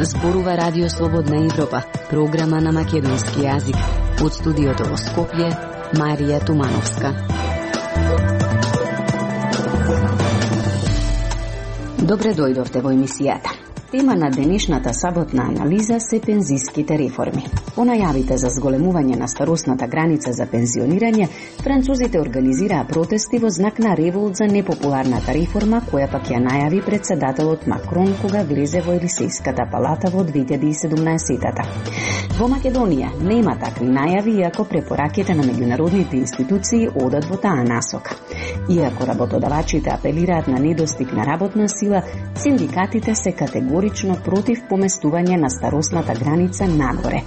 Зборува Радио Слободна Европа, програма на македонски јазик. Од студиото во Скопје, Марија Тумановска. Добре дојдовте во емисијата. Тема на денешната саботна анализа се пензиските реформи. По најавите за зголемување на старосната граница за пензионирање, французите организираа протести во знак на револт за непопуларната реформа, која пак ја најави председателот Макрон кога влезе во Елисејската палата во 2017-та. Во Македонија нема такви најави, иако препораките на меѓународните институции одат во таа насока. Иако работодавачите апелираат на недостиг на работна сила, синдикатите се категорично против поместување на старосната граница нагоре.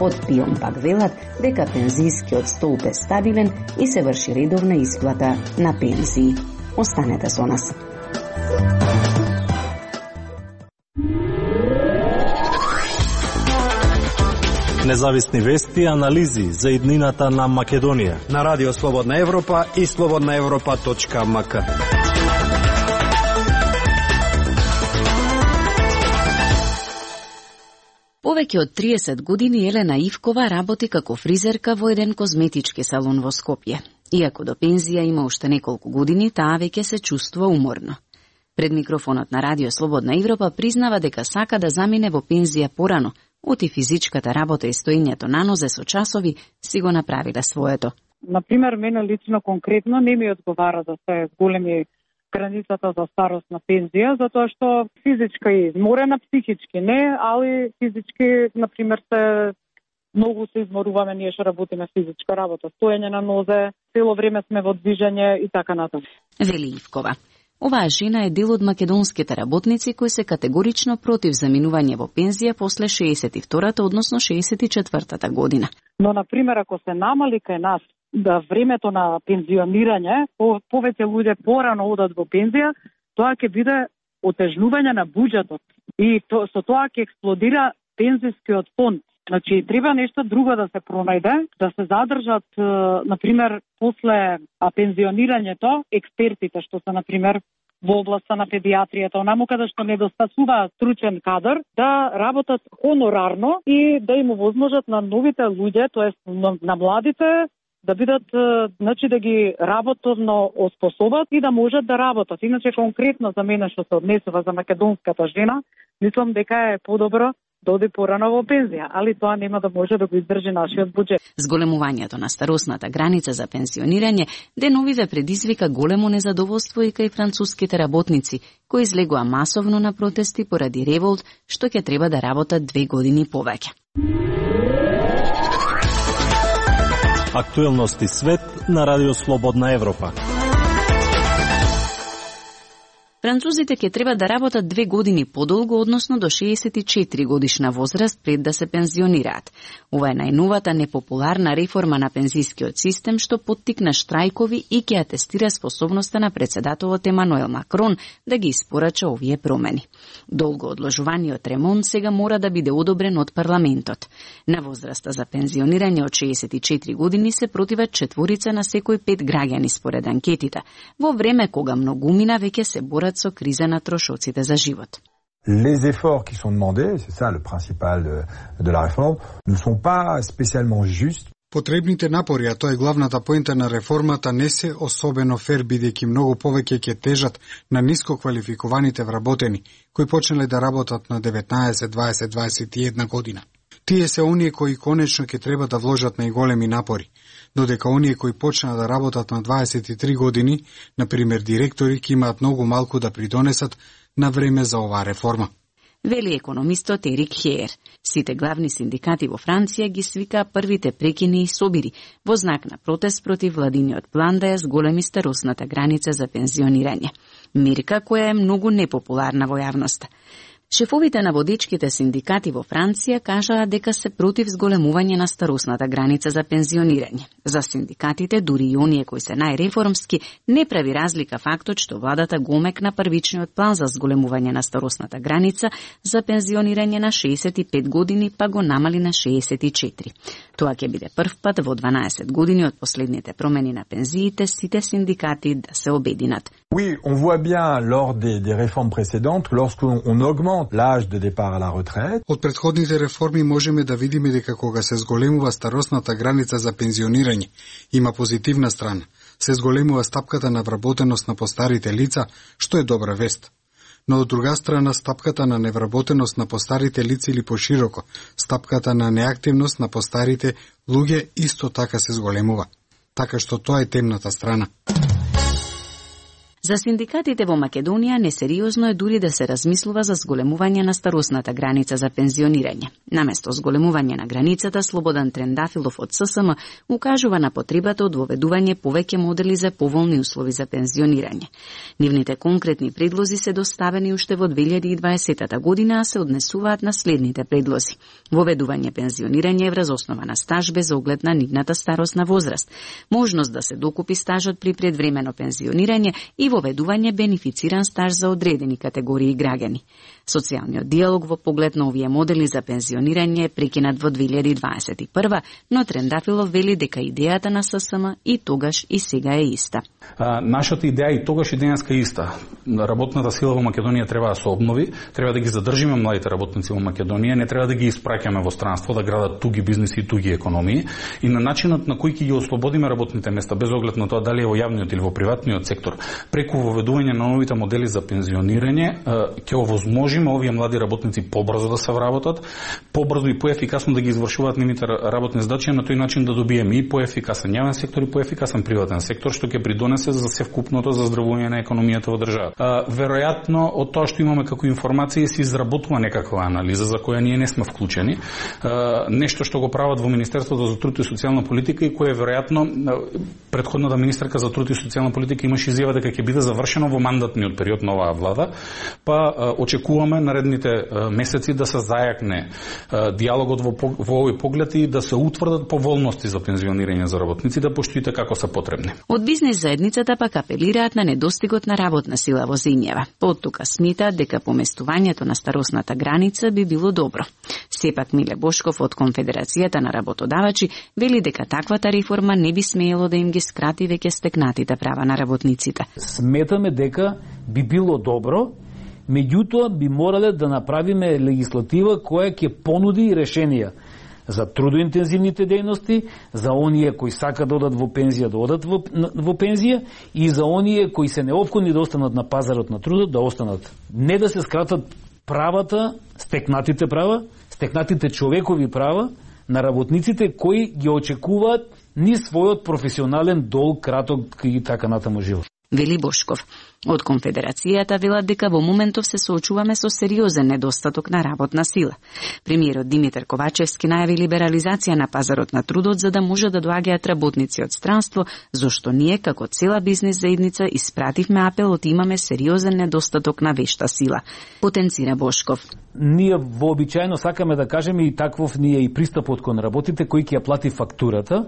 Од ПИОМ пак велат дека пензискиот столб е стабилен и се врши редовна исплата на пензии. Останете со нас. Независни вести и анализи за иднината на Македонија на Радио Слободна Европа и slobodnaevropa.mk. Повеќе од 30 години Елена Ивкова работи како фризерка во еден козметички салон во Скопје. Иако до пензија има уште неколку години, таа веќе се чувствува уморно. Пред микрофонот на Радио Слободна Европа признава дека сака да замине во пензија порано, оти физичката работа и стоењето на нозе со часови си го направиле своето. Например, мене лично конкретно не ми одговара да се големи границата за старост на пензија, затоа што физичка е изморена, психички не, али физички, например, многу се изморуваме, ние што работиме физичка работа, стоење на нозе, цело време сме во движење и така натаму. Вели Ивкова. Оваа жена е дел од македонските работници кои се категорично против заминување во пензија после 62-та, односно 64-та година. Но, например, ако се намали кај нас да времето на пензионирање, повеќе луѓе порано одат во пензија, тоа ќе биде отежнување на буџетот. И со тоа ќе експлодира пензискиот фонд. Значи, треба нешто друго да се пронајде, да се задржат, например, после пензионирањето, експертите, што се, например, во областа на педиатријата, онаму каде што недостасува стручен кадар, да работат хонорарно и да им овозможат на новите луѓе, тоест на младите, да бидат, значи да ги работовно оспособат и да можат да работат. Иначе конкретно за мене што се однесува за македонската жена, мислам дека е подобро да оди порано во пензија, али тоа нема да може да го издржи нашиот буџет. Зголемувањето на старосната граница за пензионирање деновиве предизвика големо незадоволство и кај француските работници, кои излегоа масовно на протести поради револт, што ќе треба да работат 2 години повеќе. Актуелности свет на Радио Слободна Европа. Французите ќе треба да работат 2 години подолго, односно до 64 годишна возраст пред да се пензионираат. Ова е најновата непопуларна реформа на пензискиот систем што поттикна штрајкови и ќе атестира способноста на председателот Емануел Макрон да ги испорача овие промени. Долго одложуваниот ремонт сега мора да биде одобрен од парламентот. На возраста за пензионирање од 64 години се противат 4 на секој 5 граѓани според анкетите, во време кога многумина веќе се борат со криза на трошоците за живот. Les efforts qui sont demandés, c'est ça le principal de la réforme, ne sont pas spécialement justes. Потребните напори, а тоа е главната поента на реформата, не се особено фер, бидејќи многу повеќе ќе тежат на ниско квалификуваните вработени, кои почнале да работат на 19, 20, 21 година. Тие се оние кои конечно ќе треба да вложат најголеми напори, додека оние кои почнаа да работат на 23 години, например директори, ќе имаат многу малку да придонесат на време за оваа реформа. Вели економистот Ерик Хеер. Сите главни синдикати во Франција ги свикаа првите прекини и собири во знак на протест против владиниот план да ја зголеми старосната граница за пензионирање. Мерка која е многу непопуларна во јавноста. Шефовите на водичките синдикати во Франција кажаа дека се против зголемување на старосната граница за пензионирање. За синдикатите, дури и оние кои се најреформски, не прави разлика фактот што владата го омекна првичниот план за зголемување на старосната граница за пензионирање на 65 години, па го намали на 64. Тоа ќе биде прв пат во 12 години од последните промени на пензиите сите синдикати да се обединат. Oui, on voit bien lors des réformes précédentes, lorsqu'on augmente l'âge de départ à la retraite. Од претходните реформи можеме да видиме дека кога се зголемува старосната граница за пензионирање, има позитивна страна. Се зголемува стапката на вработеност на постарите лица, што е добра вест. Но од друга страна, стапката на невработеност на постарите лица или пошироко, стапката на неактивност на постарите луѓе исто така се зголемува. Така што тоа е темната страна. За синдикатите во Македонија несериозно е дури да се размислува за зголемување на старосната граница за пензионирање. Наместо зголемување на границата, Слободан Трендафилов од ССМ укажува на потребата од воведување повеќе модели за поволни услови за пензионирање. Нивните конкретни предлози се доставени уште во 2020 година, а се однесуваат на следните предлози: воведување пензионирање врз основа на стаж без оглед на нивната старосна возраст, можност да се докупи стажот при предвремено пензионирање и воведување бенефициран стаж за одредени категории граѓани. Социјалниот диалог во поглед на овие модели за пензионирање е прекинат во 2021, но Трендафилов вели дека идејата на ССМ и тогаш и сега е иста. Нашата идеја и тогаш и денеска е иста. Работната сила во Македонија треба да се обнови, треба да ги задржиме младите работници во Македонија, не треба да ги испраќаме во странство да градат туги бизниси и туги економии, и на начинот на кој ќе ги ослободиме работните места без оглед на тоа дали е во јавниот или во приватниот сектор, преку воведување на новите модели за пензионирање, ќе овозможиме овие млади работници побрзо да се вработат, побрзо и поефикасно да ги извршуваат нивните работни задачи, на тој начин да добиеме и поефикасен јавен сектор и поефикасен приватен сектор, што ќе придонесе за севкупното заздравување на економијата во државата. Веројатно од тоа што имаме како информации се изработува некаква анализа за која ние не сме вклучени, нешто што го прават во Министерството за труд и социјална политика и кое веројатно претходната министерка за труд и социјална политика имаше изјава дека ќе биде завршено во мандатниот период на оваа влада, па очекуваме наредните месеци да се зајакне диалогот во овој поглед и да се утврдат поволности за пензионирање за работниците, поштоите како се потребни. Од бизнес заедницата пак апелираат на недостигот на работна сила во земјава. Поттука смитаат дека поместувањето на старосната граница би било добро. Сепак Миле Бошков од Конфедерацијата на работодавачи вели дека таквата реформа не би смеело да им ги скрати веќе стекнатите права на работниците. Сметаме дека би било добро, меѓутоа би морале да направиме легислатива која ќе понуди решенија за трудоинтензивните дејности, за оние кои сакаат да одат во пензија, да одат во пензија, и за оние кои се неопходни да останат на пазарот на трудот, да останат. Не да се скратат правата, стекнатите човекови права на работниците кои ги очекуваат ни својот професионален долг, краток и така натаму живот. Вели Бошков. Од Конфедерацијата велат дека во моментов се соочуваме со сериозен недостаток на работна сила. Премиерот Димитар Ковачевски најави либерализација на пазарот на трудот за да може да доаѓаат работници од странство, зашто ние како цела бизнес заедница испративме апелот, имаме сериозен недостаток на вешта сила. Потенцира Бошков. Ние вообичаено сакаме да кажеме и таквов ние и пристапот кон работите кој ќе ја плати фактурата.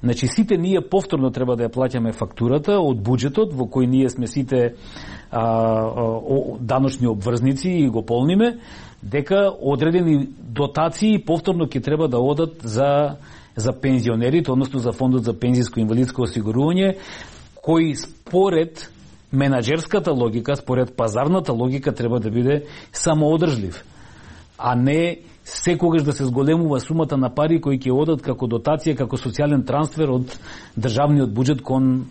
Значи, сите ние повторно треба да ја плаќаме фактурата од буџетот во кој ние сме сите даночни обврзници и го полниме, дека одредени дотации повторно ќе треба да одат за пензионерите, односно за фондот за пензиско и инвалидско осигурување, кој според менаџерската логика, според пазарната логика треба да биде самоодржлив, а не секогаш да се зголемува сумата на пари кои ќе одат како дотација, како социјален трансфер од државниот буџет кон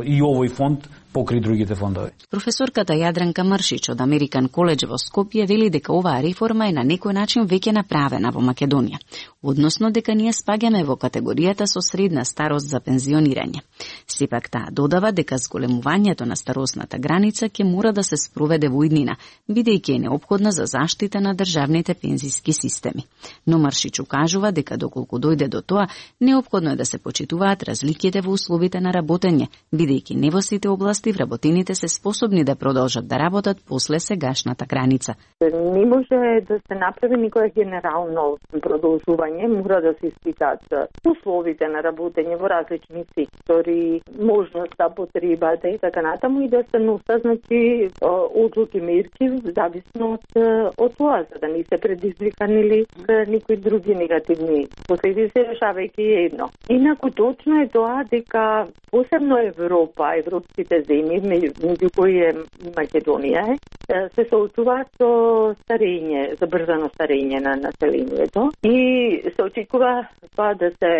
и овој фонд покри другите фондови. Професорката Јадранка Мршич од Американ коледж во Скопје вели дека оваа реформа е на некој начин веќе направена во Македонија, односно дека ние спаѓаме во категоријата со средна старост за пензионирање. Сепак таа додава дека зголемувањето на старосната граница ќе мора да се спроведе во иднина, бидејќи е неопходна за заштита на државните пензиски системи. Но Мршич укажува дека доколку дојде до тоа, неопходно е да се почитуваат разликите во условите на работење, бидејќи не во сите области власти вработените се способни да продолжат да работат после сегашната граница. Не може да се направи никое генерално продолжување, мора да се испитат условите на работење во различни сектори, можноста, потребата и така натаму и да се носат, значи, одлуки, мерки, зависно од тоа, за да не се предизвикани или никои други негативни последици, решавајќи едно. Инаку точно е тоа дека посебно Европа, европските земји, меѓу кои е Македонија, се соочуваат со старење, забрзано старење на населението и се очекува тоа да се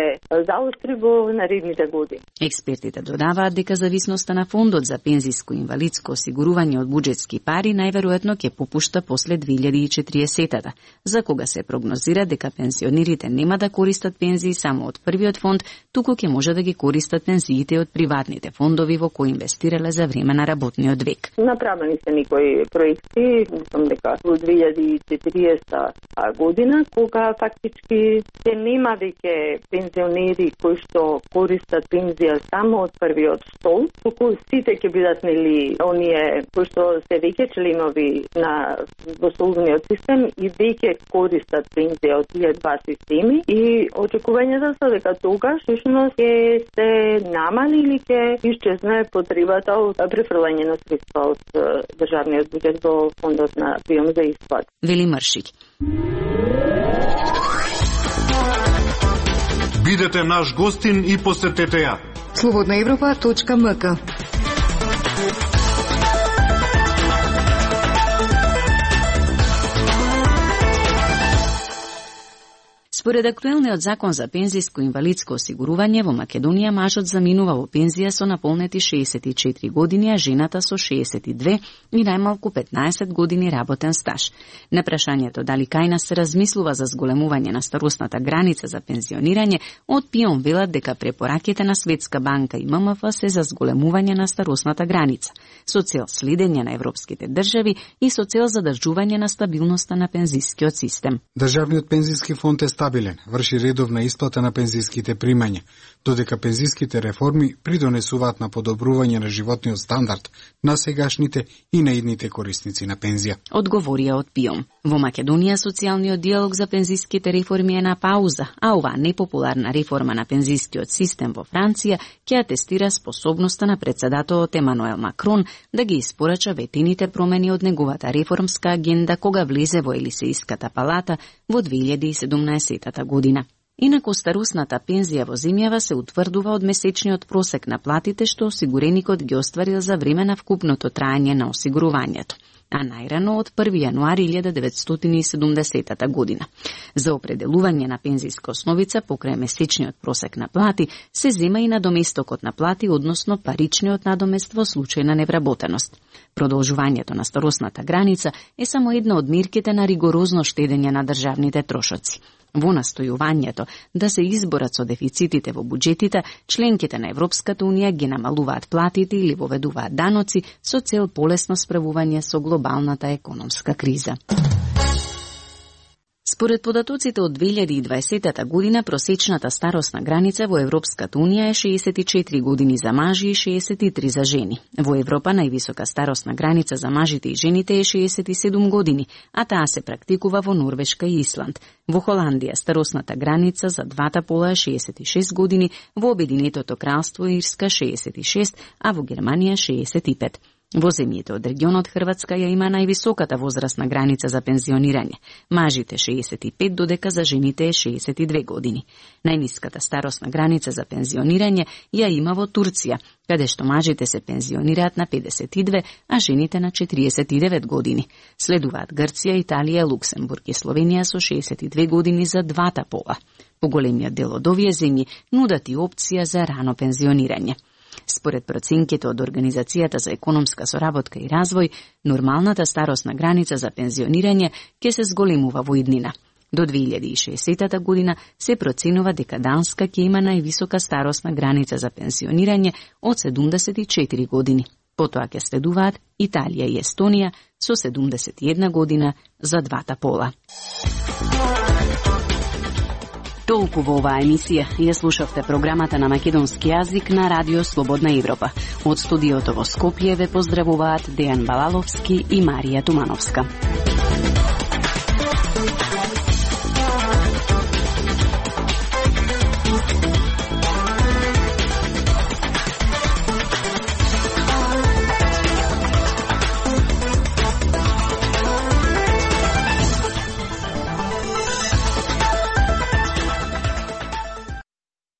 заостри во наредните години. Експертите додаваат дека зависноста на фондот за пензиско и инвалидско осигурување од буџетски пари најверојатно ќе попушта после 2040-та, за кога се прогнозира дека пензионерите нема да користат пензии само од првиот фонд, туку ќе може да ги користат пензиите од приватните фондови во кои инвестирале за време на работниот век. Направени се некои проекти, мислам дека во 2040 година, кога фактички ќе нема веќе пензионери кои што користат пензија само од првиот стол, туку сите ќе бидат нели оние кои што се веќе членови на столниот систем и веќе користат пензија од тие два системи и очекувањето се дека тогаш всушност ќе се намали или ќе исчезне потребата од префрлање на средства од државниот буџет во фондот на прием за исплат. Вели Мршик. Бидете наш гостин и посетете ја. slobodnaevropa.mk. Според актуелниот закон за пензиско и инвалидско осигурување во Македонија мажот заминува во пензија со наполнети 64 години, а жената со 62 и најмалку 15 години работен стаж. На прашањето дали кај нас се размислува за зголемување на старосната граница за пензионирање, од ПИОМ велат дека препораките на Светска банка и ММФ се за зголемување на старосната граница, со цел следење на европските држави и со цел задржување на стабилноста на пензискиот систем. Државниот пензиски фонд е стабилен, врши редовна исплата на пензиските примања, додека пензиските реформи придонесуваат на подобрување на животниот стандард на сегашните и на идните корисници на пензија. Одговорија од ПИОМ. Во Македонија социјалниот диалог за пензиските реформи е на пауза, а оваа непопуларна реформа на пензискиот систем во Франција ќе атестира способноста на председателот Емануел Макрон да ги испорача ветените промени од неговата реформска агенда кога влезе во Елисејската палата во 2017 година. Инаку старосната пензија во земјава се утврдува од месечниот просек на платите што осигуреникот ги остварил за време на вкупното траење на осигурувањето, а најрано од 1. јануари 1970 година. За определување на пензиска основица покрај месечниот просек на плати се зема и надоместокот на плати, односно паричниот надомест во случај на невработеност. Продолжувањето на старосната граница е само една од мерките на ригорозно штедење на државните трошоци. Во настојувањето да се изборат со дефицитите во буџетите, членките на Европската Унија ги намалуваат платите или воведуваат даноци со цел полесно справување со глобалната економска криза. Според податоците од 2020 година, просечната старосна граница во Европската Унија е 64 години за мажи и 63 за жени. Во Европа највисока старосна граница за мажите и жените е 67 години, а таа се практикува во Норвешка и Исланд. Во Холандија старосната граница за двата пола е 66 години, во Обединетото кралство Ирска 66, а во Германија 65. Во земјите од регионот Хрватска ја има највисоката возрастна граница за пензионирање. Мажите 65, додека за жените е 62 години. Најниската старосна граница за пензионирање ја има во Турција, каде што мажите се пензионираат на 52, а жените на 49 години. Следуваат Грција, Италија, Луксембург и Словенија со 62 години за двата пола. Поголемиот дел од овие земји нудат и опција за рано пензионирање. Според проценките од Организацијата за економска соработка и развој, нормалната старосна граница за пензионирање ќе се зголемува во иднина. До 2060 година се проценува дека Данска ќе има највисока старосна граница за пензионирање од 74 години. Потоа ќе следуваат Италија и Естонија со 71 година за двата пола. Толку во оваа емисија ја слушавте програмата на македонски јазик на Радио Слободна Европа. Од студиото во Скопје ве поздравуваат Дејан Балаловски и Марија Тумановска.